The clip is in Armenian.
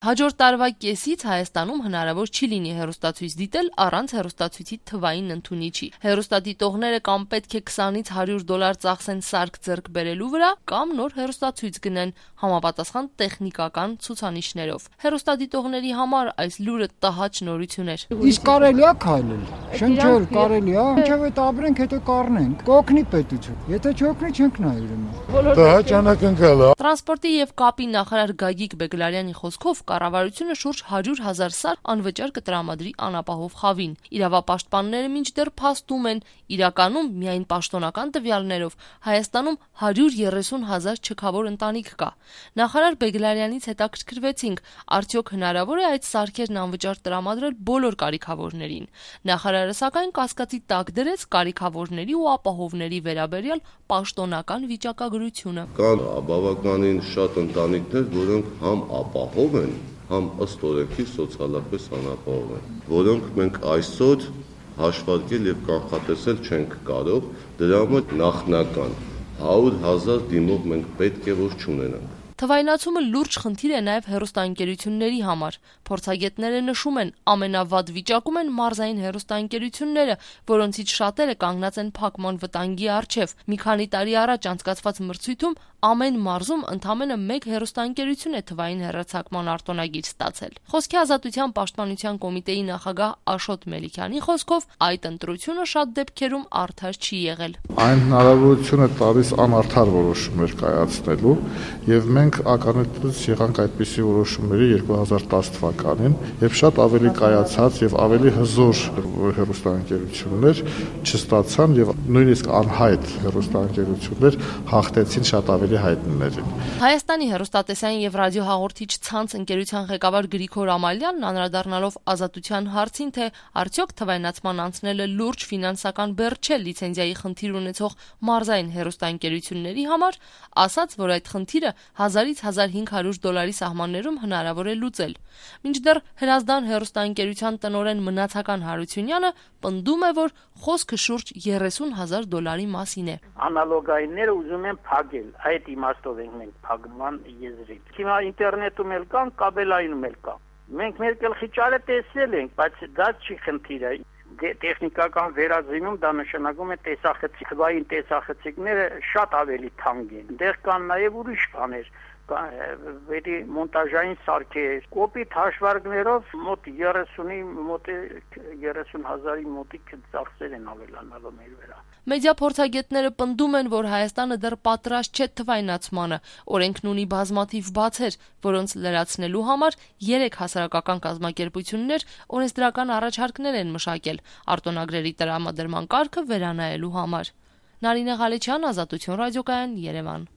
Հաջորդ տարվա կեսից Հայաստանում հնարավոր չի լինի հեռուստացույց դիտել առանց հեռուստացույցի թվային ընդունիչի։ Հեռուստադիտողները կամ պետք է $20-100 ծախսեն սարք ձեռք բերելու վրա, կամ նոր հեռուստացույց գնեն համապատասխան տեխնիկական ցուցանիշներով։ Հեռուստադիտողների համար այս լուրը տհաճ նորություն էր։ Իսկ կարելի է քայլել։ Շնչել կարելի է, ինչեւ այդ ապրենք, հետո կառնենք։ Կօգնի պետություն։ Եթե չօգնի, չենք նայ ուրեմն։ Տհաճ անակնկալ է։ Տրանսպորտի եւ կապի նախարար Գագիկ Բեգլարյանի խոսքով կառավարությունը շուրջ 100,000 սարք անվճար կտրամադրի անապահով խավին։ Իրավապաշտպանները մինչդեռ փաստում են, իրականում միայն պաշտոնական տվյալներով Հայաստանում 130,000 չքավոր ընտանիք կա։ Նախարար Բեգլարյանից հետաքրքրվեցինք, արդյոք հնարավոր է այդ սարքերն անվճար տրամադրել բոլոր կարիքավորներին։ Նախարարը սակայն կասկածի տակ դրեց կարիքավորների ու ապահովների վերաբերյալ պաշտոնական վիճակագրությունը։ Կան բավականին շատ ընտանիքներ, որոնք համ ապահով են, համ ըստ օրենքի սոցիալապես անապահով են, որոնք մենք այսօր հաշվարկել եւ կանխատեսել չենք կարող, դրա համար նախնական 100,000 դիմող մենք պետք է որ չունենանք։ Թվայնացումը լուրջ խնդիր է նաև հեռուստաընկերությունների համար։ Փորձագետները նշում են, ամենավատ վիճակում են մարզային հեռուստաընկերությունները, որոնցից շատերը կանգնած են փակման վտանգի առջև։ Մի քանի տարի առաջ անցկացված մրցույթում ամեն մարզում ընդամենը 1 հեռուստաընկերություն է թվային հեռարձակման արտոնագիր ստացել։ Խոսքի ազատության պաշտպանության կոմիտեի նախագահ Աշոտ Մելիքյանի խոսքով այդ ընտրությունը շատ դեպքերում արդար չի եղել։ Այն հնարավորություն է տալիս անարդար որոշումներ կայացնելու, եւ մենք ականատես եղանք այդպիսի որոշումների 2010 թվականին, եւ շատ ավելի կայացած եւ ավելի հզոր հեռուստաընկերություններ չստացան եւ նույնիսկ անհայտ հեռուստաընկերություններ հաղթեցին շատ ավելի հայտնիներին։ Հայաստանի հեռուստատեսային եւ ռադիոհաղորդիչ ցանց ընկերության ղեկավար Գրիգոր Ամալյանն անդրադառնալով ազատության հարցին, թե արդյոք թվայնացման անցնելը լուրջ ֆինանսական բեռ չէ լիցենզիայի խնդիր ունեցող մարզային հեռուստաընկերությունների համար, ասաց, որ այդ խնդիրը $1000-1500 սահմաններում հնարավոր է լուծել։ Մինչդեռ Հրազդան հեռուստաընկերության տնօրեն Մնացական Հարությունյանը պնդում է, որ խոսքը շուրջ $30,000 մասին է։ Անալոգայինները ուզում են փակել, այդ իմաստով ենք մենք փակման եզրին։ Հիմա ինտերնետում էլ կան, կաբելայինում էլ կան։ Մենք մեր գլխի ճարը տեսել ենք, բայց դա չի խնդիրը։ Տեխնիկական վերածինում դա նշանակում է տեսախցիկային տեսախցիկները շատ ավելի թանկ են։ Դեռ կան նաև ուրիշ բաներ, վերի մոնտաժային սարքեր, կոպիտ հաշվարկներով մոտ 30-ի մոտ 30,000-ի մոտիկ ծախսեր են ավելանալու մեր վրա։ Մեդիա փորձագետները պնդում են, որ Հայաստանը դեռ պատրաստ չէ թվայնացմանը։ Օրենքն ունի բազմաթիվ բացեր, որոնց լրացնելու համար 3 հասարակական կազմակերպություններ օրենսդրական առաջարկներ են մշակել արտոնագրերի տրամադրման կարգը վերանայելու համար։ Նարինե Ղալեչյան, Ազատություն ռադիոկայան, Երևան։